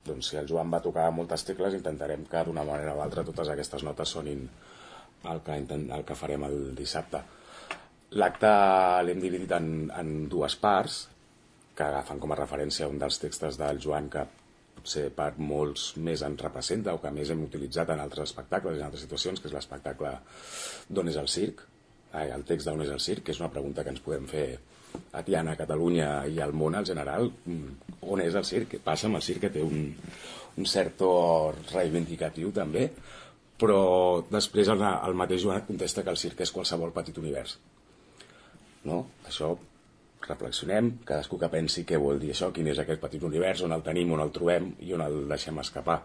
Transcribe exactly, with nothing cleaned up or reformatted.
doncs si el Joan va tocar moltes tecles, intentarem que d'una manera o altra totes aquestes notes sonin el que, el que farem el dissabte. L'acte l'hem dividit en, en dues parts, que agafen com a referència un dels textos del Joan que potser per molts més ens representa o que més hem utilitzat en altres espectacles i en altres situacions, que és l'espectacle d'on és el circ, el text d'on és el circ, que és una pregunta que ens podem fer a Tiana, a Catalunya i al món en general. On és el circ? Què passa amb el circ, que té un, un cert to reivindicatiu també, però després el, el mateix Joan et contesta que el circ és qualsevol petit univers, no? Això reflexionem, cadascú que pensi què vol dir això, quin és aquest petit univers, on el tenim, on el trobem i on el deixem escapar.